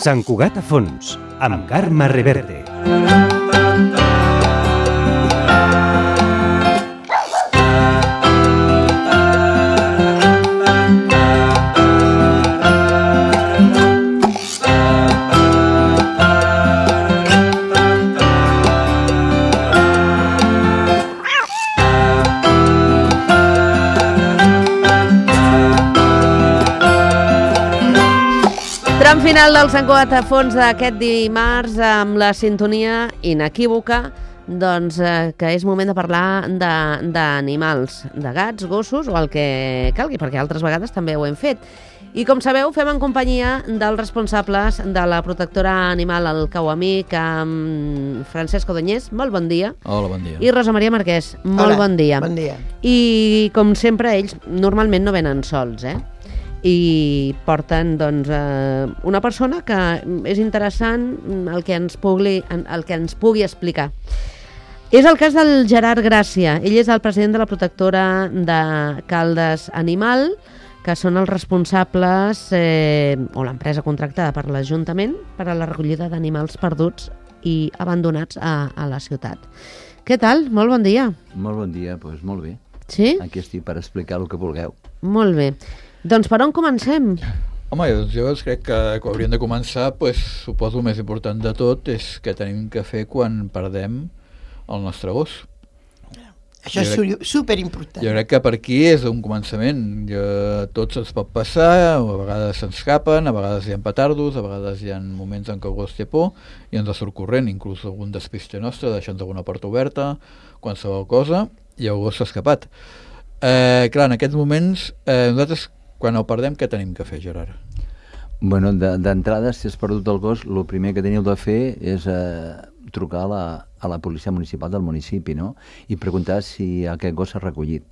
Sant Cugat a fons, amb Carme Reverte. Tram final del Sant Cugat a fons d'aquest dimarts amb la sintonia inequívoca que és moment de parlar d'animals, de gats, gossos o el que calgui, perquè altres vegades també ho hem fet. I com sabeu, fem en companyia dels responsables de la protectora animal al Cauamic, amb Francesc Odoñés, molt bon dia. Hola, bon dia. I Rosa Maria Marquès, molt bon dia. Bon dia. I com sempre, ells normalment no venen sols, i porten una persona que és interessant el que ens pugui explicar. És el cas del Gerard Gràcia. Ell és el president de la protectora de Caldes Animal, que són els responsables o l'empresa contractada per l'Ajuntament per a la recollida d'animals perduts i abandonats a la ciutat. Què tal? Molt bon dia. Molt bon dia, doncs molt bé. Sí? Aquí estic per explicar el que vulgueu. Molt bé. Doncs per on comencem? Home, jo crec que hauríem de començar, suposo el més important de tot és què tenim que fer quan perdem el nostre gos. Això és superimportant. Jo crec que per aquí és un començament. Tots ens pot passar, a vegades s'escapen, a vegades hi ha petardos, a vegades hi ha moments en què el gos té por i ens surt corrent, inclús algun despiste nostre, deixant alguna porta oberta, qualsevol cosa, i el gos s'ha escapat. Clar, en aquests moments, nosaltres, quan el perdem, què tenim que fer, Gerard? Bueno, d'entrada, si has perdut el gos, el primer que teniu de fer és trucar a la policia municipal del municipi, no? I preguntar si aquest gos s'ha recollit.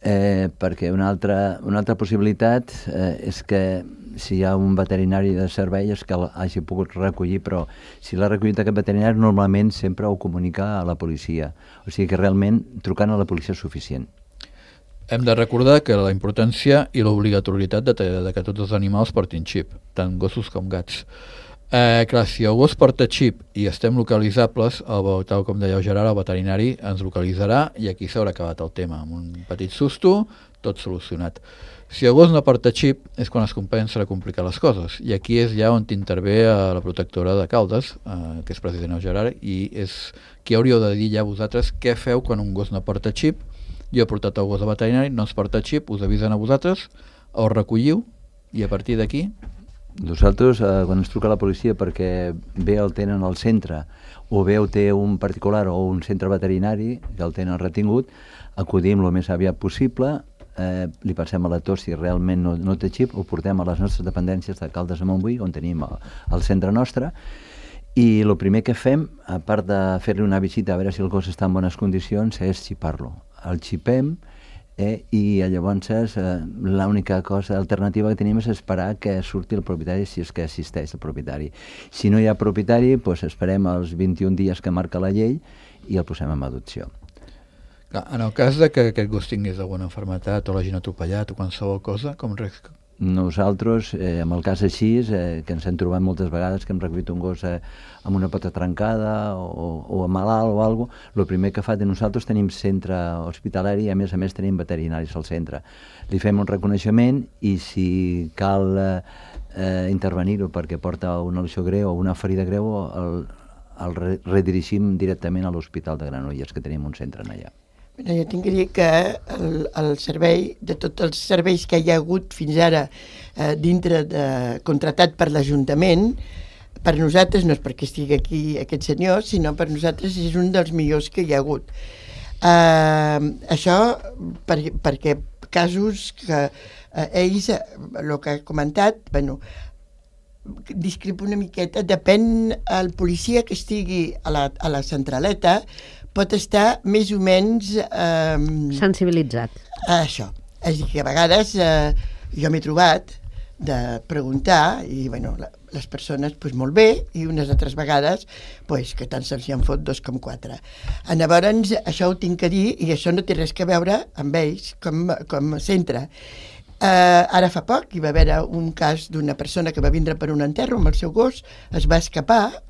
Perquè una altra possibilitat és que si hi ha un veterinari de servei és que l'hagi pogut recollir, però si l'ha recollit aquest veterinari normalment sempre ho comunica a la policia. O sigui que realment trucant a la policia és suficient. Hem de recordar que la importància i l'obligatorietat de que tots els animals portin xip, tant gossos com gats. Clar, si el gos porta xip i estem localitzables, tal com deia el Gerard, el veterinari ens localitzarà i aquí s'haurà acabat el tema. Amb un petit susto, tot solucionat. Si el gos no porta xip és quan es comencen a complicar les coses i aquí és ja on intervé la protectora de Caldes, que és president el Gerard, i és qui hauríeu de dir ja vosaltres què feu quan un gos no porta xip. Jo he portat el gos de veterinari, no es porta xip, us avisen a vosaltres, el recolliu i a partir d'aquí... Nosaltres, quan ens truca la policia perquè bé el tenen al centre o bé ho té un particular o un centre veterinari que el tenen retingut, acudim el més aviat possible, li passem a la tos si realment no té xip, ho portem a les nostres dependències de Caldes de Montbui, on tenim el centre nostre, i el primer que fem, a part de fer-li una visita a veure si el gos està en bones condicions, és xipar-lo. El xipem i llavors l'única cosa alternativa que tenim és esperar que surti el propietari si és que assisteix el propietari. Si no hi ha propietari, doncs esperem els 21 dies que marca la llei i el posem en adopció. En el cas de que aquest gos tingués alguna malaltia o l'hagin atropellat o qualsevol cosa, com res... Nosaltres, en el cas així, que ens hem trobat moltes vegades que hem recollit un gos amb una pota trencada o malalt o alguna cosa, el primer que fa de nosaltres tenim centre hospitalari i a més tenim veterinaris al centre. Li fem un reconeixement i si cal intervenir-ho perquè porta una lesió greu o una ferida greu, el redirigim directament a l'Hospital de Granollers, que tenim un centre allà. Jo tinc que dir que el servei, de tots els serveis que hi ha hagut fins ara contratat per l'Ajuntament, per nosaltres, no és perquè estigui aquí aquest senyor, sinó per nosaltres és un dels millors que hi ha hagut. Això perquè casos que ells, el que ha comentat, discrepa una miqueta, depèn el policia que estigui a la centraleta, pot estar més o menys... sensibilitzat. Això. És a dir, que a vegades jo m'he trobat de preguntar i, les persones, molt bé, i unes altres vegades, que tant se'ls hi han fot 2,4. Llavors, això ho tinc que dir, i això no té res a veure amb ells com a centre. Ara fa poc hi va haver un cas d'una persona que va vindre per un enterro amb el seu gos, es va escapar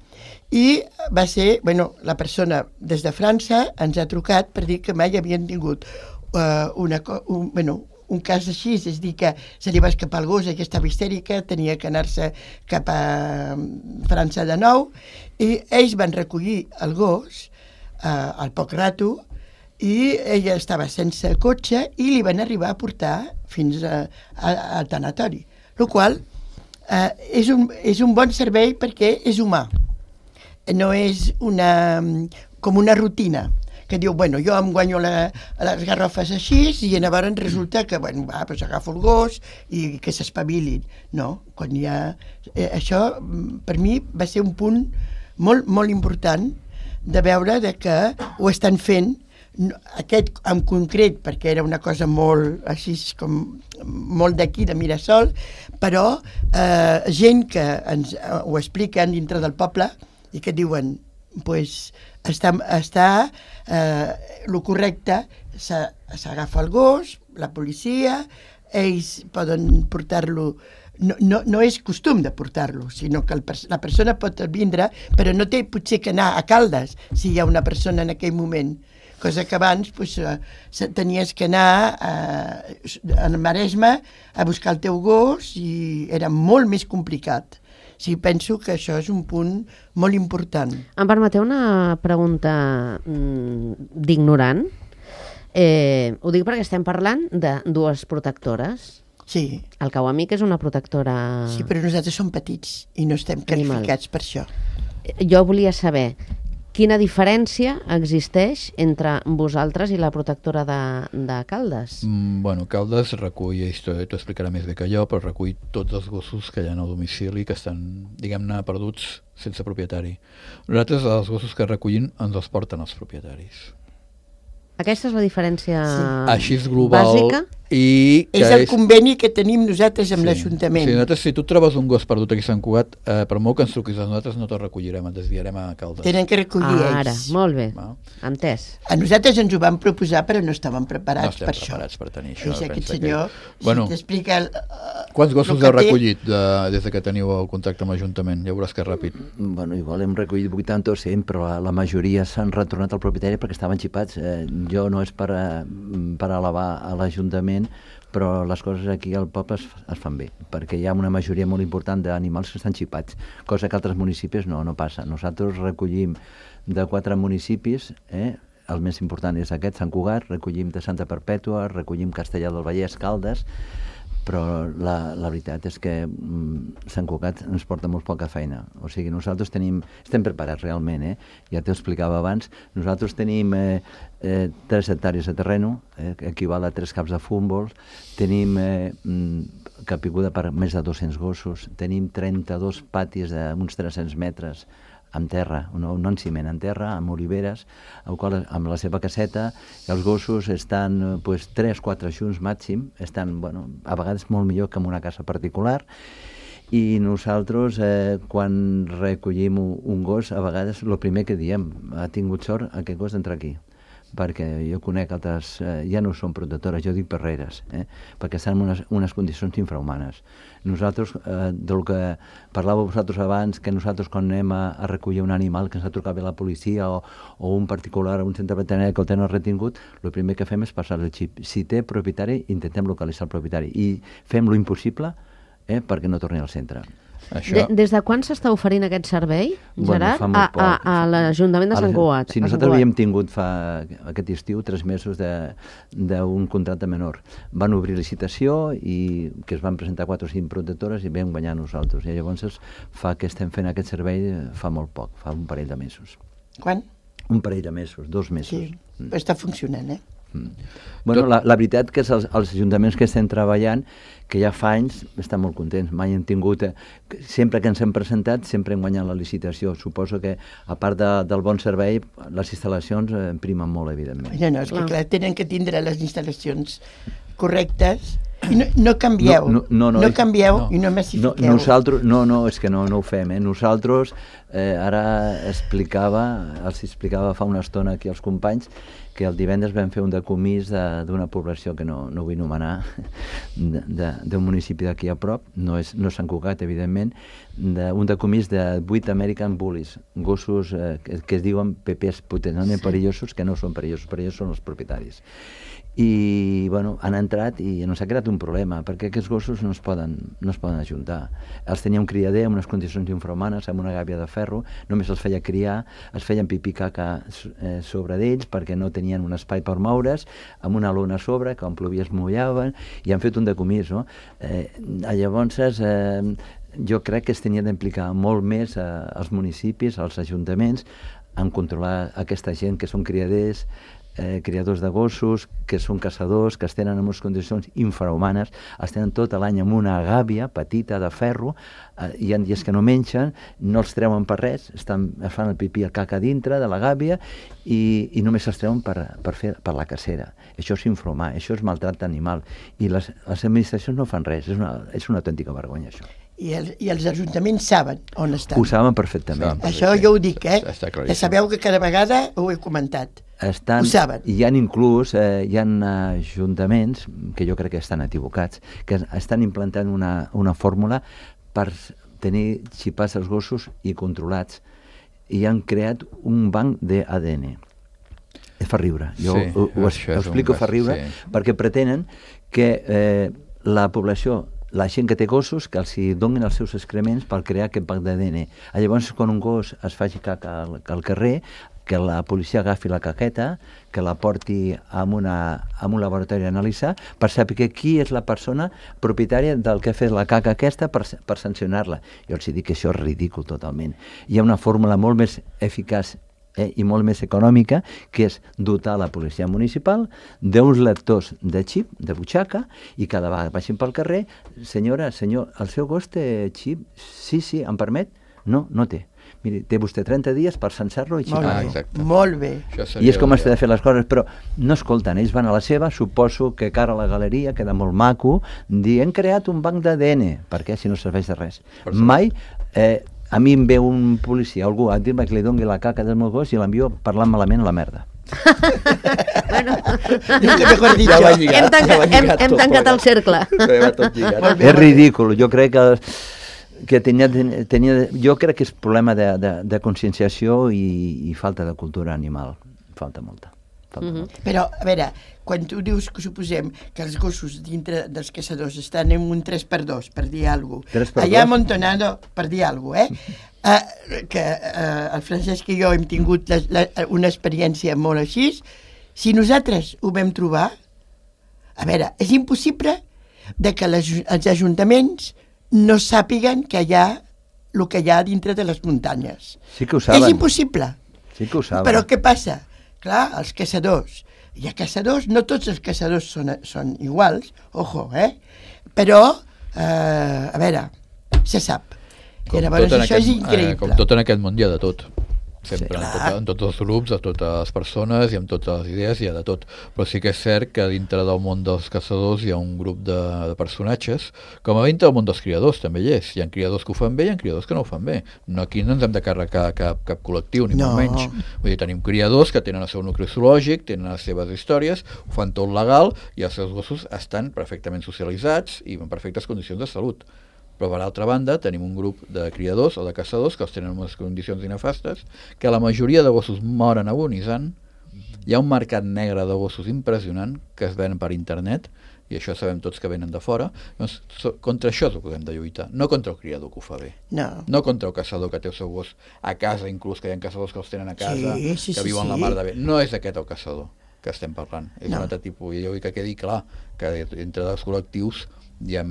i va ser, la persona des de França ens ha trucat per dir que mai havien tingut un cas així, és dir, que se li va escapar el gos, que estava histèrica, tenia que anar-se cap a França de nou, i ells van recollir el gos al poc rato, i ella estava sense cotxe i li van arribar a portar fins al tanatori. El qual és un bon servei perquè és humà. No és com una rutina que diu, jo em guanyo les garrofes així i llavors resulta que, doncs agafo el gos i que s'espavilin. No, quan hi ha... Això, per mi, va ser un punt molt, molt important de veure que ho estan fent, aquest en concret, perquè era una cosa molt, així com molt d'aquí, de Mirasol, però gent que ens ho expliquen dintre del poble i que diuen, doncs, està el correcte, s'agafa el gos, la policia, ells poden portar-lo, no és costum de portar-lo, sinó que la persona pot vindre, però no té potser que anar a Caldes si hi ha una persona en aquell moment, cosa que abans tenies que anar al Maresme a buscar el teu gos i era molt més complicat. Sí, penso que això és un punt molt important. Em permeteu una pregunta d'ignorant? Ho dic perquè estem parlant de dues protectores. Sí. El Kawamik és una protectora... Sí, però nosaltres som petits i no estem qualificats per això. Jo volia saber quina diferència existeix entre vosaltres i la protectora de Caldes? Caldes recull, i t'ho explicarà més bé que jo, però recull tots els gossos que hi ha al domicili que estan, diguem-ne, perduts sense propietari. Nosaltres, els gossos que recollim, ens els porten els propietaris. Aquesta és la diferència així és global, bàsica? És el conveni que tenim nosaltres amb l'Ajuntament. Sí, nosaltres, si tu trobes un gos perdut aquí a Sant Cugat, per molt que ens truquis a nosaltres no te'l recollirem, et desviarem a Caldes. Tenen que recollir ells. Ara, molt bé, entès. A nosaltres ens ho van proposar, però no estàvem preparats per això. No estem preparats per tenir això. És aquest senyor, si t'explica... Quants gossos heu recollit des que teniu el contacte amb l'Ajuntament? Ja veuràs que és ràpid. Igual hem recollit 80 o 100, però la majoria s'han retornat al propietari perquè estaven xipats. Jo no és per elevar a l'Ajuntament, però les coses aquí al poble es fan bé, perquè hi ha una majoria molt important d'animals que estan xipats, cosa que altres municipis no passa. Nosaltres recollim de 4 municipis, el més important és aquest, Sant Cugat, recollim de Santa Perpètua, recollim Castellar del Vallès, Caldes, però la veritat és que Sant Cugat ens porta molt poca feina. O sigui, nosaltres estem preparats realment, ja t'ho explicava abans, nosaltres tenim 3 hectàrees de terreno, que equival a 3 camps de futbol, tenim capiguda per més de 200 gossos, tenim 32 patis d'uns 300 metres, amb terra, no en ciment, en terra, amb oliveres, amb la seva caseta, i els gossos estan 3-4 junts màxim, estan, a vegades molt millor que en una casa particular, i nosaltres, quan recollim un gos, a vegades el primer que diem, ha tingut sort aquest gos d'entrar aquí, perquè jo conec altres, ja no són protectores, jo dic perreres, perquè estan en unes condicions infrahumanes. Nosaltres, del que parlàveu vosaltres abans, que nosaltres quan anem a recollir un animal que ens ha trucat bé la policia o un particular a un centre veterinari que el tenen retingut, el primer que fem és passar el xip. Si té propietari, intentem localitzar el propietari i fem lo impossible perquè no torni al centre. Des de quan s'està oferint aquest servei, Gerard, a l'Ajuntament de Sant Cugat? Sí, nosaltres havíem tingut aquest estiu 3 mesos d'un contracte menor. Van obrir licitació i que es van presentar 4 o 5 protectores i vam guanyar nosaltres. I llavors fa que estem fent aquest servei fa molt poc, fa un parell de mesos. Quan? Un parell de mesos, 2 mesos. Sí, però està funcionant, La veritat que els ajuntaments que estem treballant, que ja fa anys, estan molt contents. Mai hem tingut... Sempre que ens hem presentat, sempre hem guanyat la licitació. Suposo que, a part del bon servei, les instal·lacions primen molt, evidentment. No, és que clar, tenen que tindre les instal·lacions correctes no canvieu, no canvieu i no No, massifiqueu. nosaltres, és que no ho fem. Nosaltres, ara els explicava fa una estona aquí als companys que el divendres vam fer un decomís d'una població que no vull anomenar, d'un municipi d'aquí a prop, no és Sant Cugat, evidentment, un decomís de 8 American Bullies, gossos que es diuen pepers potencialment perillosos, que no són perillosos són els propietaris. I bueno, han entrat i ens ha creat un problema, perquè aquests gossos no es poden ajuntar. Els tenia un criader en unes condicions infrahumanes, amb una gàbia de ferro, només els feia criar, es feien pipí caca sobre d'ells perquè no tenien un espai per moure's, amb una lona a sobre, que quan plovia es mullaven, i han fet un decomís, no? Llavors, jo crec que es tenia d'implicar molt més els municipis, els ajuntaments, en controlar aquesta gent que són criadors de gossos, que són caçadors, que es tenen en unes condicions infrahumanes, es tenen tot l'any amb una gàbia petita de ferro, hi ha dies que no mengen, no els treuen per res, es fan el pipí al caca dintre de la gàbia i només els treuen per la cacera. Això és infrahumà, això és maltracte animal, i les administracions no fan res, és una autèntica vergonya, això. I els ajuntaments saben on estan. Ho saben perfectament. Això jo ho dic, que sabeu que cada vegada ho he comentat. Ho saben. Hi ha inclús hi ha ajuntaments, que jo crec que estan equivocats, que estan implantant una fórmula per tenir xipats els gossos i controlats, i han creat un banc d'ADN. Fa riure. Jo ho explico, fa riure, perquè pretenen que la població, la gent que té gossos, que els donin els seus excrements per crear aquest banc d'ADN. Llavors, quan un gos es faci caca al carrer, que la policia agafi la caqueta, que la porti a un laboratori a analitzar, per saber qui és la persona propietària del que ha fet la caca aquesta per sancionar-la. Jo els dic que això és ridícul totalment. Hi ha una fórmula molt més eficaç i molt més econòmica, que és dotar la policia municipal d'uns lectors de xip, de butxaca, i cada vegada vagin pel carrer, senyora, senyor, el seu gos té xip? Sí, em permet? No té. Miri, té vostè 30 dies per censar-lo i xipar-lo. Molt bé. I és com s'ha de fer les coses, però no escolten, ells van a la seva, suposo que cara a la galeria, queda molt maco, dir, hem creat un banc d'ADN, perquè si no serveix de res. Mai... a mi em ve un policia, algú a dir-me que li doni la caca del meu gos i l'envio parlant malament a la merda. Bueno, hem tancat el cercle. És ridícul, jo crec que jo crec que és problema de conscienciació i falta de cultura animal, falta molta. Però, a veure, quan tu dius que suposem que els gossos dintre dels caçadors estan en un 3x2, per dir alguna cosa, allà a Montonado, per dir alguna cosa, que el Francesc i jo hem tingut una experiència molt així, si nosaltres ho vam trobar, a veure, és impossible que els ajuntaments no sàpiguen que hi ha el que hi ha dintre de les muntanyes. Sí que ho saben. És impossible. Sí que ho saben. Però què passa? Clar, els caçadors. Hi ha caçadors, no tots els caçadors són iguals, ojo, però, a veure, se sap. I llavors això és increïble. Com tot en aquest món hi ha de tot. Sempre, en tots els grups, a totes les persones i amb totes les idees hi ha de tot, però sí que és cert que dintre del món dels caçadors hi ha un grup de personatges, com a dintre del món dels criadors també hi és, hi ha criadors que ho fan bé i hi ha criadors que no ho fan bé, aquí no ens hem de carregar cap col·lectiu ni molt menys, vull dir, tenim criadors que tenen el seu nucli zoològic, tenen les seves històries, ho fan tot legal i els seus gossos estan perfectament socialitzats i en perfectes condicions de salut. Però per altra banda tenim un grup de criadors o de caçadors que els tenen en unes condicions nefastes, que la majoria de gossos moren agonitzant, hi ha un mercat negre de gossos impressionant que es venen per internet, i això sabem tots que venen de fora, doncs contra això és el que hem de lluitar, no contra el criador que ho fa bé, no contra el caçador que té el seu gos a casa, inclús que hi ha caçadors que els tenen a casa, que viuen la mar de bé, no és aquest el caçador que estem parlant, és un altre tipus, i jo vull que quedi clar que entre els col·lectius hi ha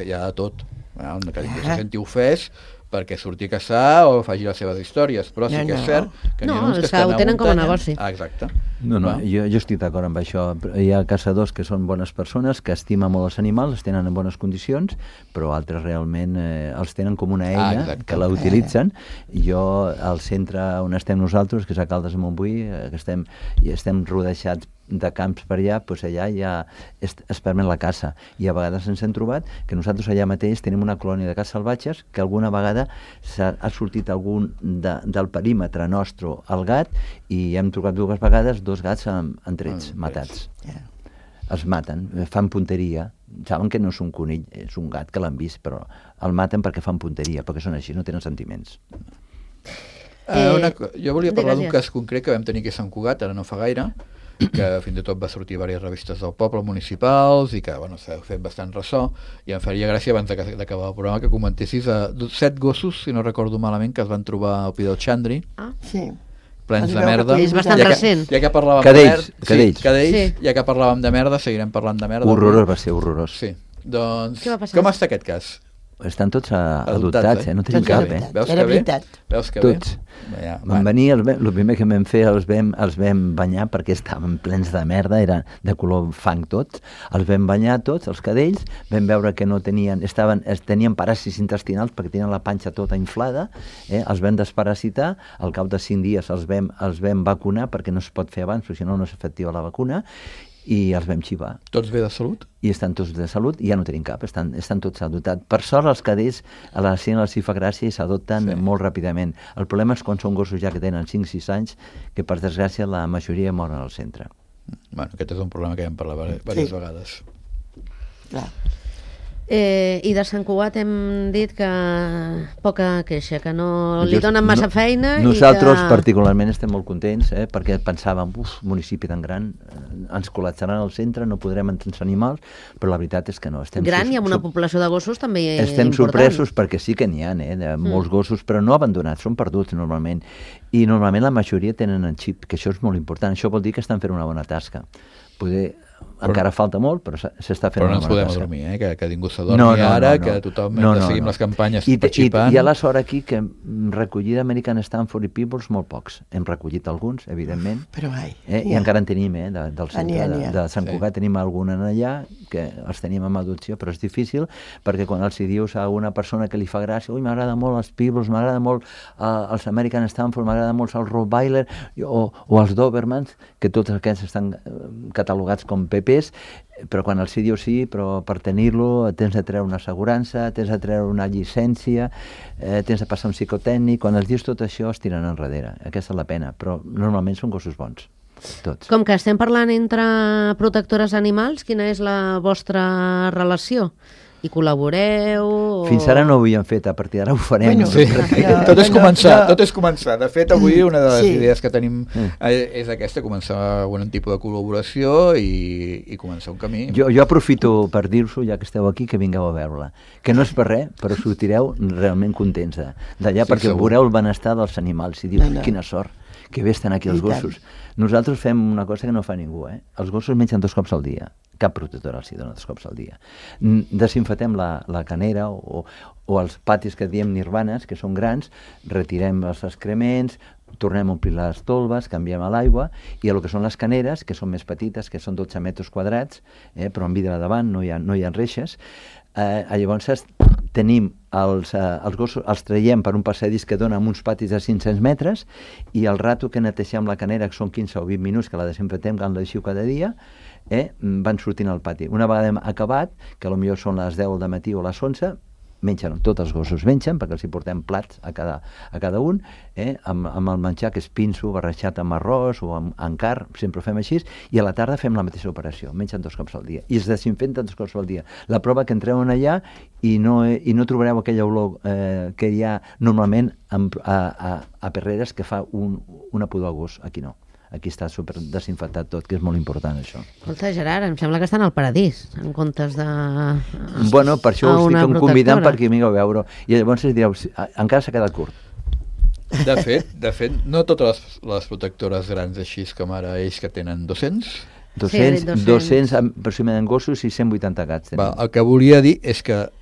de tot, que ningú se senti ofès perquè surti a caçar o faci les seves històries, però sí que és cert que n'hi ha uns que estan ho tenen com a negoci. Exacte. Jo estic d'acord amb això. Hi ha caçadors que són bones persones, que estimen molt els animals, els tenen en bones condicions, però altres realment els tenen com una eina que la utilitzen. Jo, al centre on estem nosaltres, que és a Caldes de Montbui, estem rodejats de camps per allà, doncs allà ja es permet la caça. I a vegades ens hem trobat que nosaltres allà mateix tenim una colònia de caça salvatges que alguna vegada ha sortit algun del perímetre nostre al gat i hem trobat 2 vegades 2 gats en trets, matats. Els maten, fan punteria. Saben que no és un conill, és un gat que l'han vist, però el maten perquè fan punteria, perquè són així, no tenen sentiments. Jo volia parlar d'un cas concret que vam tenir aquí a Sant Cugat, ara no fa gaire, que fins i tot va sortir diverses revistes del poble municipals i que s'ha fet bastant ressò, i em faria gràcia abans d'acabar el programa que comentessis 7 gossos, si no recordo malament, que es van trobar al Pi del Xandri. Sí. Plens de merda. És bastant recent. Ja que parlàvem Cadells. Ja que parlàvem de merda, seguirem parlant de merda. Horrorós, va ser horrorós. Sí. Doncs, què va passar? com està aquest cas? Estan tots adoptats, no tenim cap, Veus Era que veritat. Veus que tots. Ja, Van venir, el primer que vam fer els vam banyar perquè estaven plens de merda, era de color fang tots, els vam banyar tots, els cadells, vam veure que no tenien, tenien paràsits intestinals perquè tenien la panxa tota inflada, els vam desparasitar, al cap de 5 dies els vam vacunar perquè no es pot fer abans, perquè si no és efectiva la vacuna, i els vam xivar. Tots bé de salut? I estan tots de salut i ja no tenim cap, estan tots adoptats. Per sort els cadells a la gent els hi fa gràcia i s'adopten molt ràpidament. El problema és quan són gossos ja que tenen 5-6 anys, que per desgràcia la majoria moren al centre. Bueno, aquest és un problema que ja hem parlat diverses vegades. Clar. I de Sant Cugat hem dit que poca queixa, que no li donen massa feina. Nosaltres particularment estem molt contents, perquè pensàvem, municipi tan gran, ens col·lapsaran al centre, no podrem entrar els animals, però la veritat és que no. Gran i amb una població de gossos també important. Estem sorpresos perquè sí que n'hi ha, de molts gossos, però no abandonats, són perduts normalment. I normalment la majoria tenen en xip, que això és molt important. Això vol dir que estan fent una bona tasca. Encara falta molt, però s'està fent una bona tasca. Però no ens podem adormir, que ningú s'adormi ara, que tothom hem de seguir amb les campanyes per xipant. I a la sort aquí que recollir American Stanford i Peoples molt pocs. Hem recollit alguns, evidentment, i encara en tenim, del centre de Sant Cugat tenim algun allà, que els tenim en adopció, però és difícil, perquè quan els dius a una persona que li fa gràcia, m'agrada molt els Peoples, m'agrada molt els American Stanford, m'agrada molt els Rottweiler o els Dobermans, que tots aquests estan catalogats com PPs, però quan els dius sí, però per tenir-lo tens de treure una assegurança, tens de treure una llicència, tens de passar un psicotècnic, quan els dius tot això es tiren enrere, aquesta és la pena, però normalment són gossos bons, tots. Com que estem parlant entre protectores animals, quina és la vostra relació? I col·laboreu? Fins ara no ho havíem fet, a partir d'ara ho farem. Tot és començar. De fet, avui una de les idees que tenim és aquesta, començar algun tipus de col·laboració i començar un camí. Jo aprofito per dir-vos, ja que esteu aquí, que vingueu a veure-la. Que no és per res, però sortireu realment contents d'allà, perquè veureu el benestar dels animals i dius, quina sort, que bé estan aquí els gossos. Nosaltres fem una cosa que no fa ningú, els gossos mengen 2 cops al dia. Cap protectora els dona 2 cops al dia. Desinfectem la canera o els patis que diem nirvanes, que són grans, retirem els excrements, tornem a omplir les tolves, canviem a l'aigua, i a lo que són les caneres, que són més petites, que són 12 metres quadrats, però amb vidre davant, no hi ha reixes, llavors tenim els gossos, els traiem per un passadís que dona amb uns patis de 500 metres, i el rato que neteixem la canera, que són 15 o 20 minuts, que la desinfectem, que la deixiu cada dia, van sortint al pati. Una vegada hem acabat, que potser són les 10 del matí o les 11, mengen, tots els gossos mengen, perquè els hi portem plats a cada un, amb el menjar que és pinso, barrejat amb arròs o amb carn, sempre ho fem així, i a la tarda fem la mateixa operació, mengen 2 cops al dia, i es desinfecten 2 cops al dia. La prova que entreu allà i no trobareu aquella olor que hi ha normalment a Perreres que fa una pudor a gos, aquí no. Aquí està super desinfectat tot, que és molt important això. Escolta, Gerard, em sembla que estan al paradís, en comptes de... Bueno, per això us estic convidant perquè vingueu a veure. I llavors direu, encara s'ha quedat curt. De fet, no totes les protectores grans així com ara ells que tenen 200... 200 aproximadament gossos i 180 gats. El que volia dir és que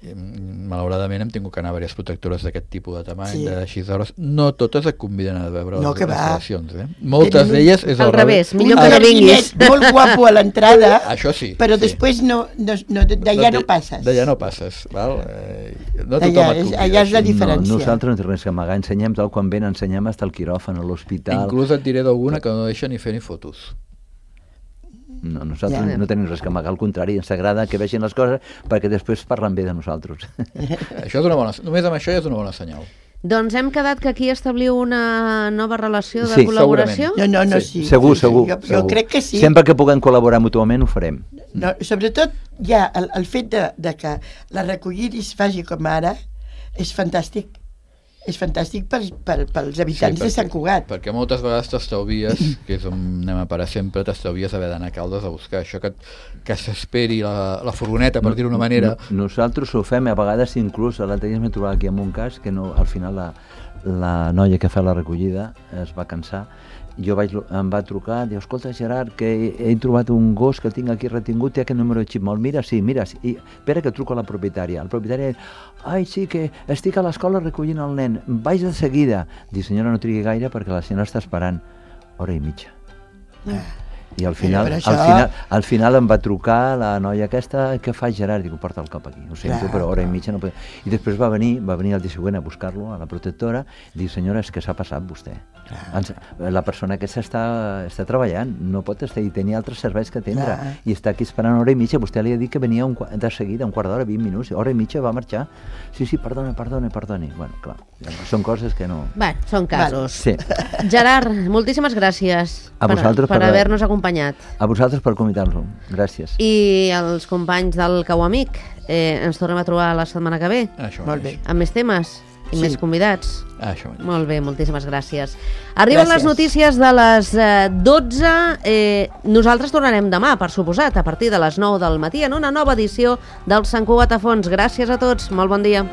malauradament hem tingut que anar a diverses protectores d'aquest tipus de tamany, de 6 hores. No totes et conviden a veure les instal·lacions. Moltes d'elles és al revés. Millor que no vinguis. Molt guapo a l'entrada, això sí, però després d'allà no passes. D'allà no passes. Allà és la diferència. Nosaltres no té res que amagar, ensenyem tal quan ven, ensenyem fins al quiròfan, a l'hospital. Inclús et diré d'alguna que no deixa ni fer ni fotos. No, nosaltres no tenim res que amagar, al contrari, ens agrada que vegin les coses perquè després parlen bé de nosaltres. Això és una bona, només amb això ja és una bona senyal. Doncs hem quedat que aquí establiu una nova relació de Sí, col·laboració? No, Sí. sí. Segur. Jo crec que sí. Sempre que puguem col·laborar mútuament ho farem. No, sobretot ja el fet de que la recollida es faci com ara és fantàstic. És fantàstic pels habitants de Sant Cugat. Perquè moltes vegades t'estalvies, que és on anem a parar sempre, t'estalvies haver d'anar a Caldes a buscar això, que s'esperi la furgoneta, per dir-ho d'una manera. Nosaltres ho fem, a vegades inclús, l'altre dia m'he trobat aquí amb un cas que no, al final la noia que fa la recollida es va cansar. Em va trucar, diu, escolta Gerard, que he trobat un gos que tinc aquí retingut, té aquest número de xip, molt, mira, i espera que truco a la propietària. La propietària, ai, sí, que estic a l'escola recollint el nen, vaig de seguida. Diu, senyora, no trigui gaire perquè la senyora està esperant hora i mitja. I al final em va trucar la noia aquesta, què fa Gerard? Dic, porta el cap aquí, ho sento, però hora i mitja no pot... I després va venir el dia següent a buscar-lo a la protectora, i diu, senyora, és que s'ha passat vostè. La persona aquesta està treballant, no pot estar, i tenia altres serveis que atendre, i està aquí esperant hora i mitja. Vostè li ha dit que venia de seguida, un quart d'hora, 20 minuts, hora i mitja va marxar. Sí, perdoni. Bueno, clar, són coses que no... Bé, són casos. Sí. Gerard, moltíssimes gràcies per haver-nos acompanyat. A vosaltres per convidar-lo. Gràcies. I els companys del Cau Amic, ens tornem a trobar la setmana que ve. Molt bé. Amb més temes i més convidats. Això. Molt bé, moltíssimes gràcies. Arriben les notícies de les 12. Nosaltres tornarem demà, per suposat, a partir de les 9 del matí, en una nova edició del Sant Cugat a Fons. Gràcies a tots, molt bon dia.